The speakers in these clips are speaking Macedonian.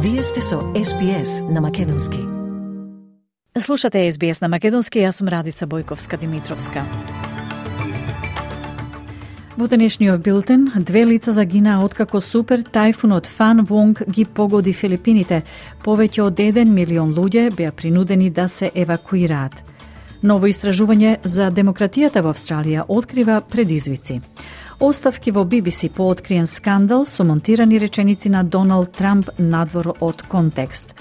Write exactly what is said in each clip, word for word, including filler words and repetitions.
Вие сте со Ес Би Ес на Македонски. Слушате Ес Би Ес на Македонски, јас сум Радица Бојковска-Димитровска. Во денешниот билтен, две лица загинаа откако супер тајфунот Фан Вонг ги погоди Филипините. Повеќе од еден милион луѓе беа принудени да се евакуираат. Ново истражување за демократијата во Австралија открива предизвици. Оставки во Би Би Си по откриен скандал со монтирани реченици на Доналд Трамп надвор од контекст.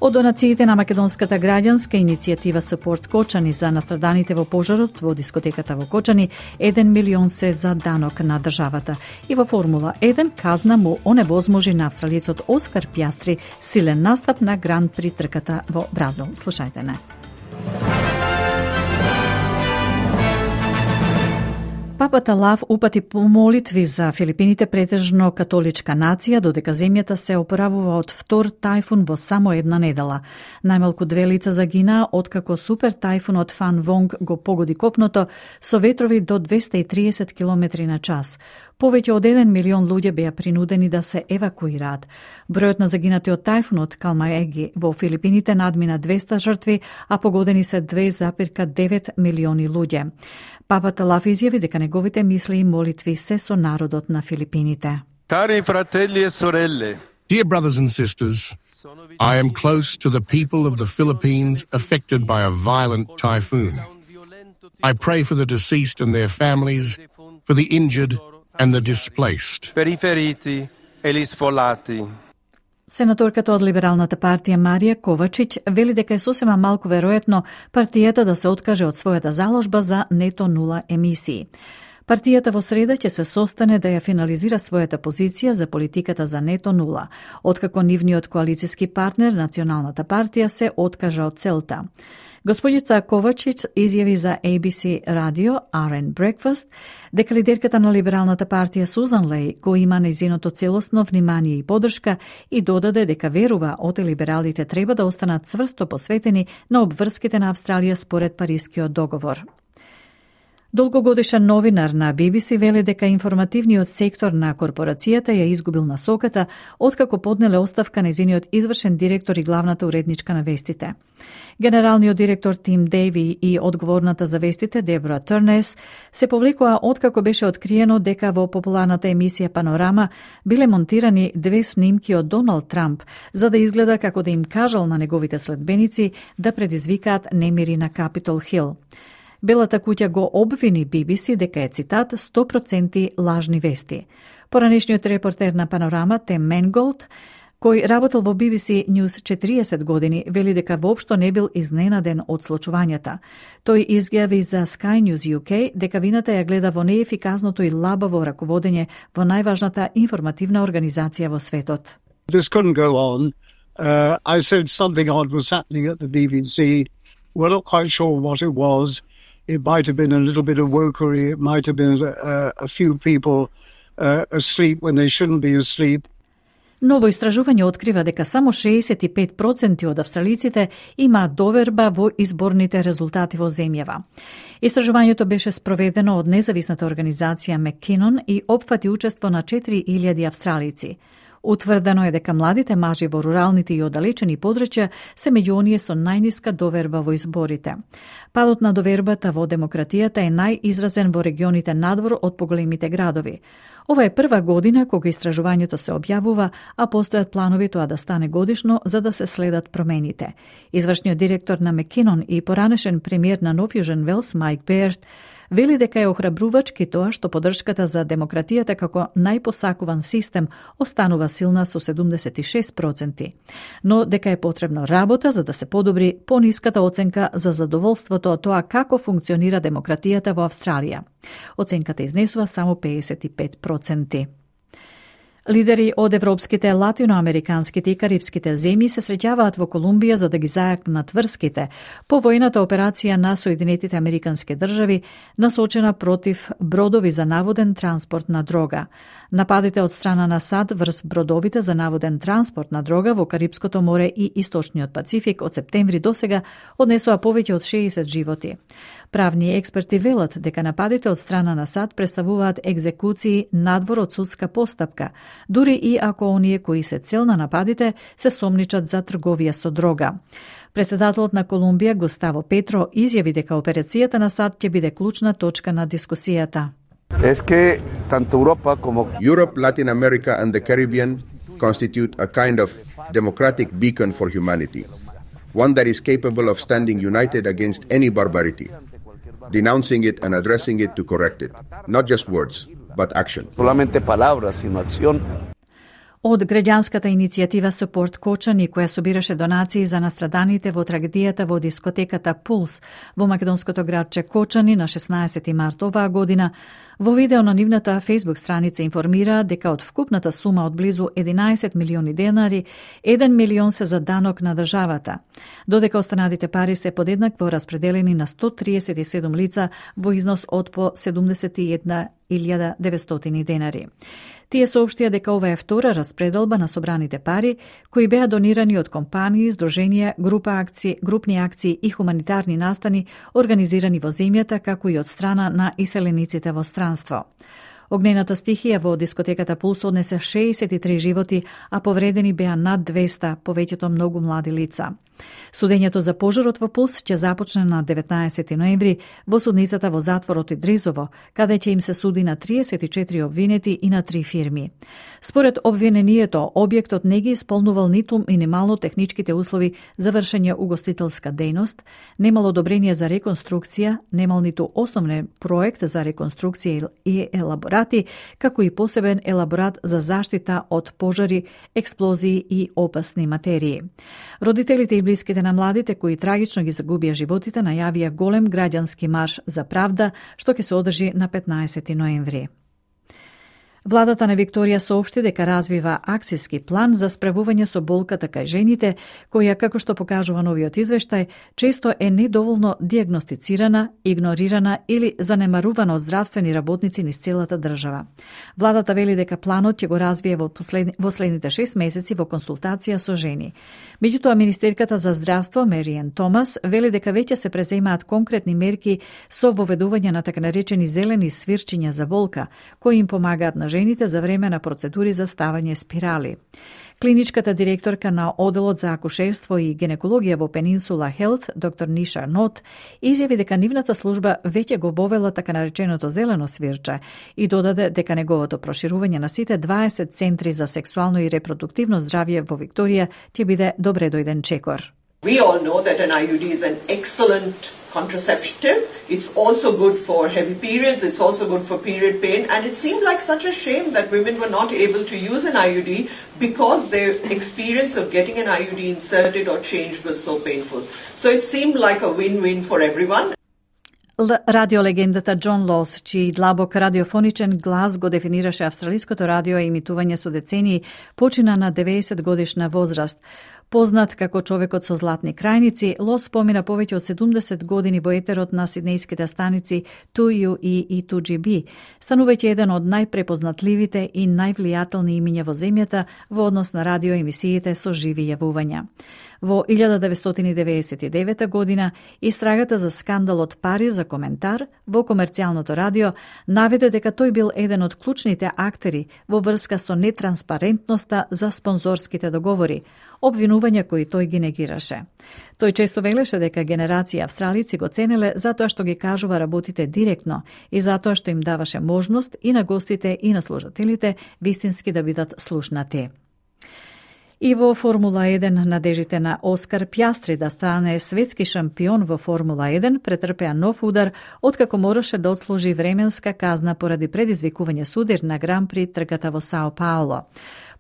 Од донациите на македонската граѓанска иницијатива Support Кочани за настраданите во пожарот во дискотеката во Кочани, еден милион се за данок на државата. И во Формула еден казна му оневозможи на австралиецот Оскар Пјастри силен настап на Гран При трката во Бразил. Слушајте не. Папата Лав упати молитви за Филипините, претежно католичка нација, додека земјата се опоравува од втор тајфун во само една недела. Најмалку две лица загинаа откако супер тајфунот Фан Вонг го погоди копното со ветрови до двесте и триесет километри на час. Повеќе од еден милион луѓе беа принудени да се евакуираат. Бројот на загинати од тајфунот Калмаеги во Филипините надмина двесте жртви, а погодени се две зарез девет милиони луѓе. Папата Лав изјави дека неговите мисли и молитви се со народот на Филипините. Cari fratelli e sorelle. Dear brothers and sisters, I am close to the people of the Philippines affected by a violent typhoon. I pray for the deceased and their families, for the injured and the displaced. Per i feriti e gli sfollati. Сенаторката од Либералната партија Марија Ковачиќ вели дека е сосема малку веројатно партијата да се откаже од својата заложба за нето нула емисии. Партијата во среда ќе се состане да ја финализира својата позиција за политиката за нето нула, откако нивниот коалициски партнер, Националната партија, се откажа од целта. Господица Ковачиќ изјави за Ей Би Си радио Ар Ен Breakfast дека лидерката на Либералната партија Сузан Леј го има нејзиното целосно внимание и подршка и додаде дека верува оте либералите треба да останат цврсто посветени на обврските на Австралија според Парискиот договор. Долгогодишен новинар на Би Би Си вели дека информативниот сектор на корпорацијата ја изгубил насоката откако поднеле оставка нејзиниот извршен директор и главната уредничка на вестите. Генералниот директор Тим Дејви и одговорната за вестите Дебора Турнес се повлекоа откако беше откриено дека во популарната емисија Панорама биле монтирани две снимки од Доналд Трамп за да изгледа како да им кажал на неговите следбеници да предизвикаат немири на Капитол Хил. Белата куќа го обвини Би Би Си дека е, цитат, сто проценти лажни вести. Поранешниот репортер на Панорама, Тем Менголд, кој работел во Би Би Си News четириесет години, вели дека воопшто не бил изненаден од случувањата. Тој изјави за Sky News Ю Кей дека вината ја гледа во неефикасното и лабаво раководење во најважната информативна организација во светот. This couldn't go on. Uh, I said something odd was happening at the B B C. We're not quite sure what it was. It might have been a little bit of wokery. It might have been a, a few people uh, asleep when they shouldn't be asleep. Ново истражување открива дека само шеесет и пет проценти од австралиците имаат доверба во изборните резултати во земјава. Истражувањето беше спроведено од независната организација Маккинон и опфати учество на четири илјади австралици. Утврдено е дека младите мажи во руралните и оддалечени подрачја се меѓу оние со најниска доверба во изборите. Падот на довербата во демократијата е најизразен во регионите надвор од поголемите градови. Ова е прва година кога истражувањето се објавува, а постојат планови тоа да стане годишно за да се следат промените. Извршниот директор на Маккинон и поранешен премиер на Нов Јужен Велс Майк Берт вели дека е охрабрувачки тоа што поддршката за демократијата како најпосакуван систем останува силна со седумдесет и шест проценти, но дека е потребно работа за да се подобри пониската оценка за задоволството од тоа како функционира демократијата во Австралија. Оценката изнесува само педесет и пет проценти. Лидери од европските, латиноамериканските и карипските земји се среќаваат во Колумбија за да ги зајакнат врските по војната операција на Соединетите Американски држави насочена против бродови за наводен транспорт на дрога. Нападите од страна на САД врз бродовите за наводен транспорт на дрога во Карипското море и Источниот Пацифик од септември досега однесоа повеќе од шеесет животи. Правни експерти велат дека нападите од страна на САД представуваат екзекуции надвор од судска постапка, дури и ако оние кои се цел на нападите се сомничат за трговија со дрога. Председателот на Колумбија Густаво Петро изјави дека операцијата на САД ќе биде клучна точка на дискусијата. Es que tanto Europa como Europe, Latin America and the Caribbean constitute a kind of democratic beacon for humanity, one that is capable of standing united against any barbarity, denouncing it and addressing it to correct it, not just words, but action. Solamente palabras, sino acción. Од граѓанската иницијатива Support Кочани, која собираше донации за настраданите во трагедијата во дискотеката Пулс во македонското градче Кочани на шеснаесети март оваа година, во видео на нивната Facebook страница информира дека од вкупната сума од близу единаесет милиони денари, еден милион се за данок на државата, додека останатите пари се подеднакво распределени на сто триесет и седум лица во износ од по седумдесет и една илјада деветстотини денари. Тие соопштија дека ова е втора распределба на собраните пари, кои беа донирани од компании, здруженија, група акции, групни акции и хуманитарни настани организирани во земјата, како и од страна на иселениците во странство. Огнената стихија во дискотеката Пулс однесе шеесет и три животи, а повредени беа над двеста, повеќето многу млади лица. Судењето за пожарот во Пулс ќе започне на деветнаесети ноември во судницата во затворот Идризово, каде ќе им се суди на триесет и четири обвинети и на три фирми. Според обвинението, објектот не ги исполнувал ниту минимално техничките услови за вршење угостителска дејност, немал одобрение за реконструкција, немал ниту основен проект за реконструкција и елаборати, како и посебен елаборат за заштита од пожари, експлозии и опасни материи. Родителите и блиските на младите кои трагично ги загубија животите најавија голем граѓански марш за правда, што ќе се одржи на петнаесети ноември. Владата на Викторија соопшти дека развива акцијски план за справување со болката кај жените, која, како што покажува новиот извештај, често е недоволно диагностицирана, игнорирана или занемарувана од здравствени работници низ целата држава. Владата вели дека планот ќе го развие во, последни, во следните шест месеци во консултација со жени. Меѓутоа, министерката за здравство Мериен Томас вели дека веќе се преземаат конкретни мерки со воведување на така наречени зелени свирчиња за болка, кои им помагаат на жените за време на процедури за ставање спирали. Клиничката директорка на Оделот за акушерство и гинекологија во Пенинсула Хелт, доктор Ниша Нот, изјави дека нивната служба веќе го вовела така нареченото зелено свирче и додаде дека неговото проширување на сите дваесет центри за сексуално и репродуктивно здравје во Викторија ќе биде добре дојден чекор. We all know that an I U D is an excellent contraceptive. It's also good for heavy periods. It's also good for period pain. And it seemed like such a shame that women were not able to use an I U D because their experience of getting an I U D inserted or changed was so painful. So it seemed like a win-win for everyone. Радиолегендата Џон Лос, чиј длабок радиофоничен глас го дефинираше австралиското радио и емитување со децении, почина на деветдесет годишна возраст. Познат како човекот со златни крајници, Лос помина повеќе од седумдесет години во етерот на сиднејските станици ту ю и и ту џи би, станувајќи еден од најпрепознатливите и највлијателни имиња во земјата во однос на радиоемисиите со живи јавувања. Во илјада деветстотини деветдесет и девета година, истрагата за скандалот пари за коментар во комерцијалното радио наведе дека тој бил еден од клучните актери во врска со нетранспарентноста за спонзорските договори, обвинувања кои тој ги негираше. Тој често велеше дека генерација австралици го ценеле затоа што ги кажува работите директно и затоа што им даваше можност и на гостите и на слушателите вистински да бидат слушнати. И во Формула еден надежите на Оскар Пјастри да стане светски шампион во Формула еден претрпеа нов удар откако мораше да отслужи временска казна поради предизвикување судир на Гран-при трката во Сао Пауло.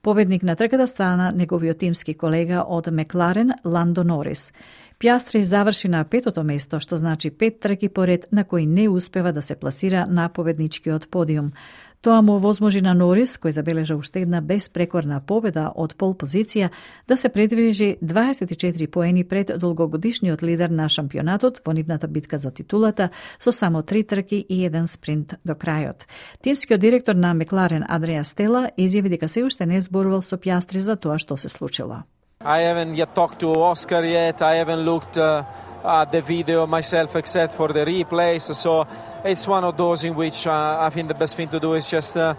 Победник на трката стана неговиот тимски колега од Мекларен Ландо Норис. Пјастри заврши на петото место, што значи пет трки поред на кои не успева да се пласира на победничкиот подиум. Тоа му овозможи на Норис, кој забележа уште една безпрекорна победа од пол позиција, да се предвижи дваесет и четири поени пред долгогодишниот лидер на шампионатот во нивната битка за титулата со само три трки и еден спринт до крајот. Тимскиот директор на Мекларен Адриа Стела изјави дека се уште не зборувал со Пјастри за тоа што се случило. I haven't yet talked to Oscar yet. I haven't looked uh, uh, the video myself except for the replays. So it's one of those in which uh, I think the best thing to do is just uh,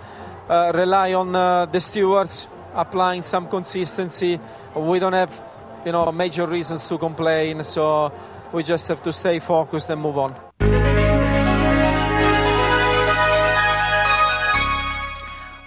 uh, rely on uh, the stewards applying some consistency. We don't have, you know, major reasons to complain, so we just have to stay focused and move on.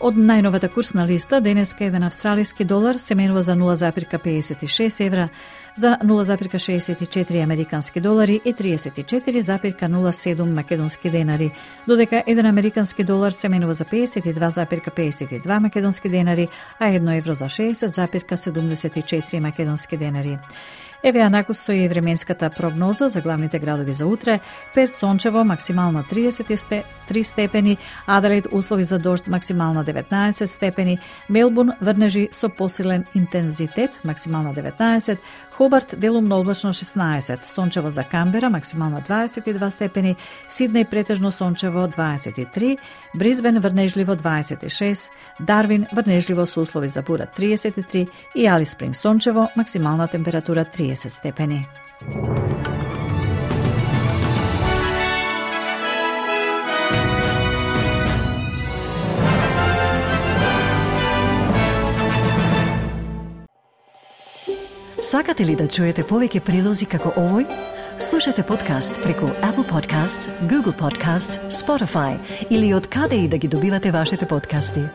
Од најновата курсна листа, денеска еден австралиски долар се менува за нула запирка педесет и шест евра, за нула запирка шеесет и четири американски долари и триесет и четири запирка нула седум македонски денари, додека еден американски долар се менува за педесет и два запирка педесет и два македонски денари, а едно евро за шеесет запирка седумдесет и четири македонски денари. Еве анакус со и временската прогноза за главните градови за утре. Перт сончево, максимална триесет и три степени, Аделаид услови за дожд, максимална деветнаесет степени, Мелбурн врнежи со посилен интензитет, максимална деветнаесет, Хобарт делумно облачно шеснаесет, сончево за Камбера, максимална дваесет и два степени, Сиднеј претежно сончево дваесет и три, Бризбен врнежливо дваесет и шест, Дарвин врнежливо со услови за бура триесет и три и Алис Спринг сончево, максимална температура триесет степени. Сакате ли да чуете повеќе прилози како овој? Слушате подкаст преку Apple Podcasts, Google Podcasts, Spotify или од каде и да ги добивате вашите подкасти.